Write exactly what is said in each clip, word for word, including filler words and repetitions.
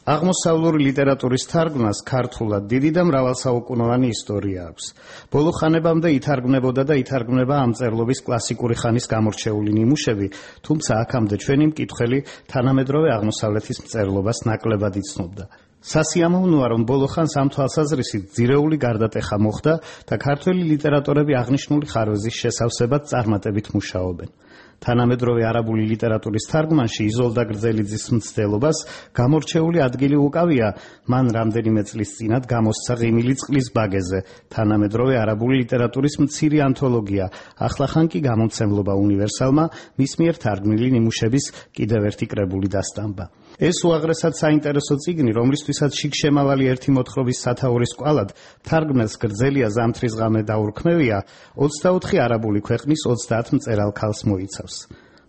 აღმოსავლური ლიტერატურის თარგმნას ქართულად დიდი და მრავალსაუკუნოვანი ისტორია აქვს. ბოლო ხანებამდე ითარგმნებოდა და ითარგმნება ამ წერლობის კლასიკური ხანის გამორჩეული ნიმუშები, თუმცა აქამდე ჩვენი მკითხველი თანამედროვე აღმოსავლეთის მწერლობას ნაკლებად იცნობდა. სასიამოვნოა, რომ ბოლო ხანს ამ თვალსაზრისით ძირეული გარდატეხა მოხდა და ქართველი ლიტერატორები აღნიშნული ხარვეზის შესავსებად წარმატებით მუშაობენ. თანამედროვე არაბული ლიტერატურის თარგმანში იზოლდა გრძელიძის მცდელობას გამორჩეული ადგილი უკავია მან რამდენიმე წლის წინათ გამოსცა ღიმილი წყლის ბაგეზე, თანამედროვე არაბული ლიტერატურის მცირე ანთოლოგია, ახლახან კი გამომცემლობა უნივერსალმა მის მიერ თარგმნილი ნიმუშების კიდევ ერთი კრებული დასტამბა. ეს უაღრესად საინტერესო წიგნი, რომლისთვისაც შიგშემავალი ერთი მოთხრობის სათაურის კვალად თარგმნელს გრძელია ზამთრისღამე დაურქმევია, ოცდაოთხი არაბული ქვეყნის ოცდაათ მწერალ ქალს მოიცავს.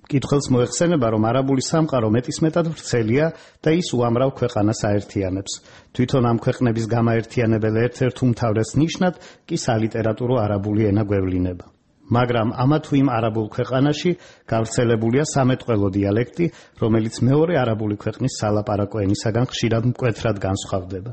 მკითხველს მოეხსენება, რომ არაბული სამყარო მეტისმეტად ვრცელია და ის უამრავ ქვეყანას აერთიანებს. თვითონ ამ ქვეყნების გამაერთიანებელ ერთ-ერთ უმთავრეს ნიშნად კი სალიტერატურო არაბული ენა გვევლინება. მაგრამ ამა თუ იმ არაბულ ქვეყანაში გავრცელებულია სამეტყველო დიალექტი, რომელიც მეორე არაბული ქვეყნის სალაპარაკო ენისაგან ხშირად მკვეთრად განსხვავდება.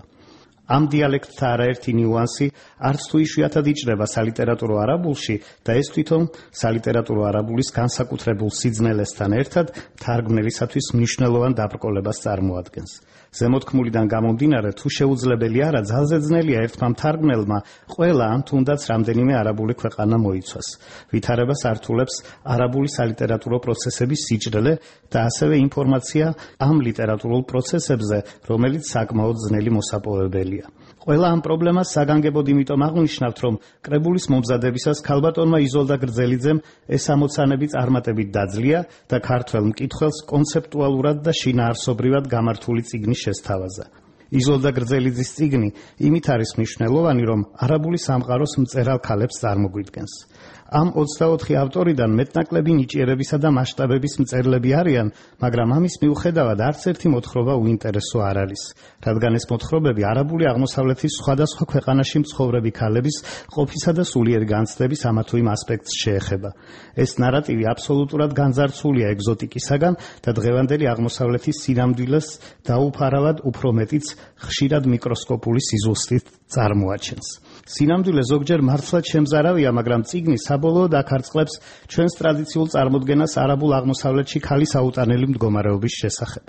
ამ დიალექტთა არაერთი ნიუანსი არც თუ იშვიათად იჭრება სალიტერატურო არაბულში და ეს თვითონ სალიტერატურო არაბულის განსაკუთრებულ სიძნელესთან ერთად თარგმნელისათვის მნიშვნელოვან დაბრკოლებას წარმოადგენს. ზემოთქმულიდან გამომდინარე, თუ შეუძლებელი არა, ძალზე ძნელია ერთმა მთარგმნელმა ყველა ან თუნდაც რამდენიმე არაბული ქვეყანა მოიცვას. ვითარებას ართულებს არაბული სალიტერატურო პროცესების სიჭრელე და ასევე ინფორმაცია ამ ლიტერატურულ პროცესებზე, რომელიც საკმაოდ ძნელი მოსაპოვებელია. ყველა ამ პრობლემას საგანგებოდ იმიტომ აღვნიშნავთ, რომ კრებულის მომზადებისას ქალბატონმა იზოლდა გრძელიძემ ეს ამოცანები წარმატებით დაძლია და ქართველ მკითხველს კონცეპტუალურად და შინაარსობრივად გამართული წიგნი შესთავაზა. იზოლდა გრძელიძის წიგნი იმით არის მნიშვნელოვანი, რომ არაბული სამყაროს მწერალ ქალებს წარმოგვიდგენს. ამ ოცდაოთხი ავტორიდან მეტნაკლები ნიჭიერებისა და მასშტაბების მწერლები არიან, მაგრამ ამის მიუხედავად არც ერთი მოთხრობა უინტერესო არ არის, რადგან ეს მოთხრობები არაბული აღმოსავლეთის სხვადასხვა ქვეყანაში მცხოვრები ქალების ყოფისა და სულიერი განცდების ამა თუ იმ ასპექტს შეეხება. ეს ნარატივი აბსოლუტურად განძარცულია ეგზოტიკისაგან და დღევანდელი აღმოსავლეთის სინამდვილეს დაუფარავად უფრო მეტიც ხშირად მიკროსკოპული სიზუსტით წარმოაჩენს. სინამდვილე ზოგჯერ მართლაც შემზარავია, მაგრამ წიგნი საბოლოოდ აქარწყლებს ჩვენს ტრადიციულ წარმოდგენას არაბულ აღმოსავლეთში ქალის აუტანელი მდგომარეობის შესახებ.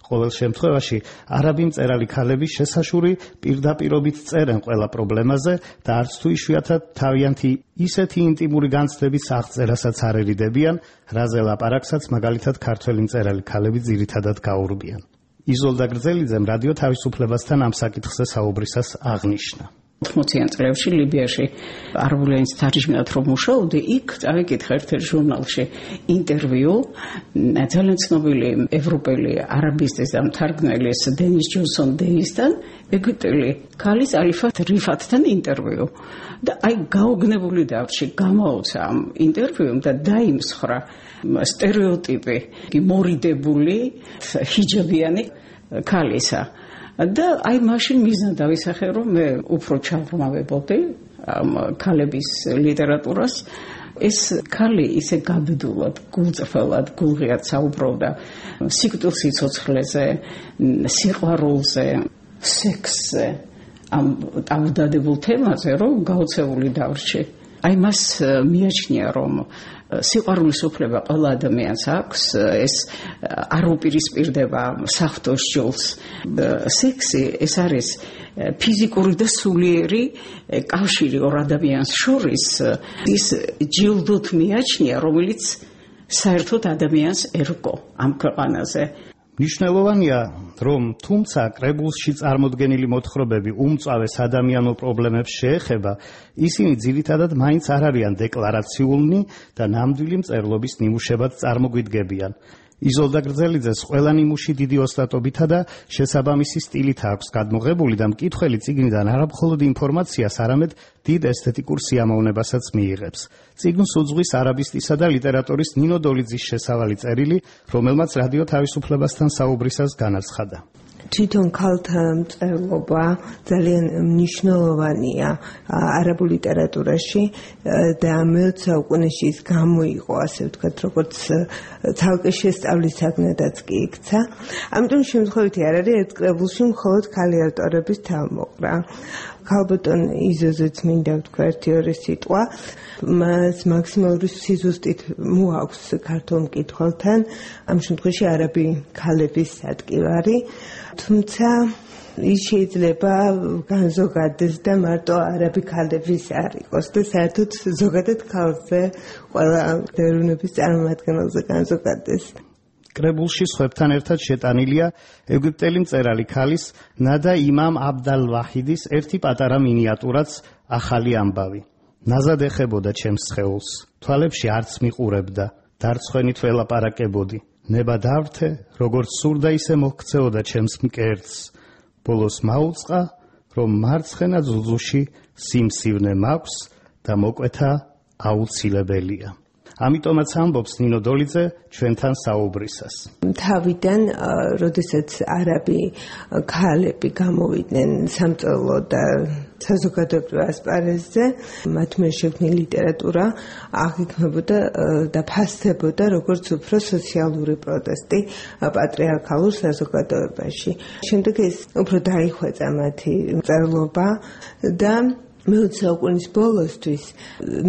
ყოველ შემთხვევაში არაბი მწერალი ქალები შესაშური პირდაპირობით წერენ ყველა პრობლემაზე და არც თუ იშვიათად თავიანთი ისეთი ინტიმური განცდების აღწერასაც არ ერიდებიან, რაზე ლაპარაკსაც მაგალითად ქართველი მწერალი ქალები ძირითადად გაურბიან. იზოლდა გრძელიძემ რადიო თავისუფლებასთან ამ საკითხზე საუბრისას აღნიშნა. ოთხმოციან წლებში ლიბიაში არაბული ენის თარჯიმნად რომ მუშაობდი, იქ წავიკითხე ერთ-ერთ ჟურნალში ინტერვიუ ძალიან ცნობილი ევროპელი არაბისტის და მთარგმნელის დენის ჯონსონ დეისთან, ეგვიპტელი ქალის ალიფა რიფათთან ინტერვიუ. და აი გაოგნებული დავრჩი, გამაოცა ამ ინტერვიუმ და დაიმსხრა სტერეოტიპი მორიდებული ჰიჯაბიანი ქალისა. და აი მაშინ მიზნა დავისახე, რომ მე უფრო ჩავრმავებოდი ამ ქალების ლიტერატურას. ეს ქალი ისე გაბედულად, გულწრფელად, გულღიად საუბრობდა სიკვდილ სიცოცხლეზე, სიყვარულზე, სექსზე, ამ დადებულ თემაზე, რომ გაოცებული დავრჩი. აი მას მიაჩნია, რომ სიყვარულის უფლება ყველა ადამიანს აქვს, ეს არ უპირისპირდება საღვთოს ჯულს. სექსი ეს არის ფიზიკური და სულიერი კავშირი ორ ადამიანს შორის, ის ჯილდოთ მიაჩნია, რომელიც საერთოდ ადამიანს ერგო ამ ქვეყანაზე. მნიშვნელოვანია, რომ თუმცა კრებულში წარმოდგენილი მოთხრობები უმწავეს ადამიანურ პრობლემებს შეეხება, ისინი ძირითადად მაინც არ არიან დეკლარაციულნი და ნამდვილი მწერლობის ნიმუშებად წარმოგვიდგებიან. იზოლდა გრძელიძეს ყველა ნიმუში დიდი ოსტატობითა და შესაბამისი სტილით აქვს გადმოღებული და მკითხველი წიგნიდან არა მხოლოდ ინფორმაციას, არამედ დიდ ესთეტიკურ სიამოვნებასაც მიიღებს. წიგნს უძღვის არაბისტისა და ლიტერატორის ნინო დოლიძის შესავალი წერილი, რომელმაც რადიო თავისუფლებასთან საუბრისას განაცხადა. თვითონ ქალთა მწერლობა ძალიან მნიშვნელოვანია არაბულ ლიტერატურაში და მეოცე საუკუნეში ის გამოიყო, ასე ვთქვათ, როგორც ცალკე შესწავლის საგნადაც კი იქცა. ამიტომ შემთხვევითი არ არის ერთ კრებულში მხოლოდ ქალი ავტორების თავმოყრა. ქალბატონ იზოზეც მინდა ვთქვა ერთი ორი სიტყვა. მას მაქსიმალური სიზუსტით მოაქვს ქართულ მკითხველთან, ამ შემთხვევაში არაბი ქალების სადგივარი, თუმცა ის შეიძლება განზოგადეს და მარტო არაბი ქალების არ იყოს და საერთოდ ზოგადად ქალზე ყველა ეროვნების წარმომადგენელზე განზოგადეს. კრებულში სხვებთან ერთად შეტანილია ეგვიპტელი მწერალი ქალის ნადა იმამ აბდალ ვაჰიდის ერთი პატარა მინიატურაც ახალი ამბავი. ნაზად ეხებოდა ჩემს სხეულს, თვალებში არც მიყურებდა, დარცხვენით ველაპარაკებოდი. ნება დავრთე, როგორც სურდა ისე მოქცეოდა ჩემს მკერდს. ბოლოს მაუწყა, რომ მარცხენა ძუძუში სიმსივნე მაქვს და მოკვეთა აუცილებელია. ამიტომაც ამბობს ნინო დოლიძე ჩვენთან საუბრისას. თავიდან, როდესაც არაბი ქალები გამოვიდნენ სამწერლო და საზოგადოებრივ ასპარეზზე, მათ მიერ შექმნილი ლიტერატურა აღიქმებოდა და ფასდებოდა როგორც უფრო სოციალური პროტესტი პატრიარქალურ საზოგადოებაში. შემდეგ ეს უფრო დაიხვეწა მათი მწერლობა და მეოცე საუკუნის ბოლოსთვის,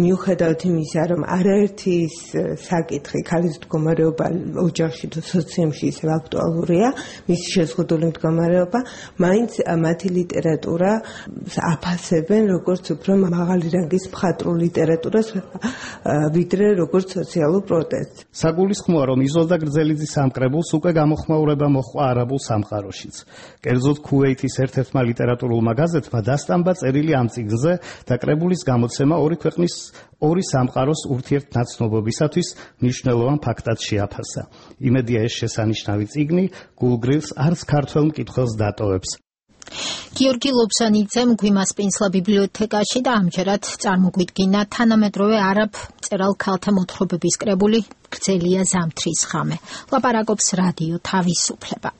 მიუხედავად იმისა, რომ არაერთი ის საკითხი, ქალის მდგომარეობა ოჯახში თუ სოციუმში ისევ აქტუალურია, მისი შეზღუდული მდგომარეობა, მაინც მათი ლიტერატურა აფასებენ როგორც უფრო მაღალი რანგის მხატვრულ ლიტერატურას, ვიდრე როგორც სოციალურ პროტესტს. საგულისხმოა, რომ იზოლდა გრძელიძის ამ კრებულს უკვე გამოხმაურება მოჰყვა არაბულ სამყაროშიც. კერძოდ ქუვეითის ერთ-ერთმა ლიტერატურულმა გაზეთმა დასტამბა წერილი ამ წიგნზე და კრებულის გამოცემა ორი ქვეყნის ორი სამყაროს ურთიერთნაცნობობისათვის მნიშვნელოვან ფაქტად შეაფასა. იმედია ეს შესანიშნავი წიგნი გულგრილს არც ქართველ მკითხველს დატოვებს. გიორგი ლობსანიძემ გვიმასპინსლა ბიბლიოთეკაში და ამჯერად წარმოგვიდგინა თანამედროვე არაბ მწერალ ქალთა მოთხრობების კრებული გრძელია ზამთრის ღამე. ლაპარაკობს რადიო თავისუფლება.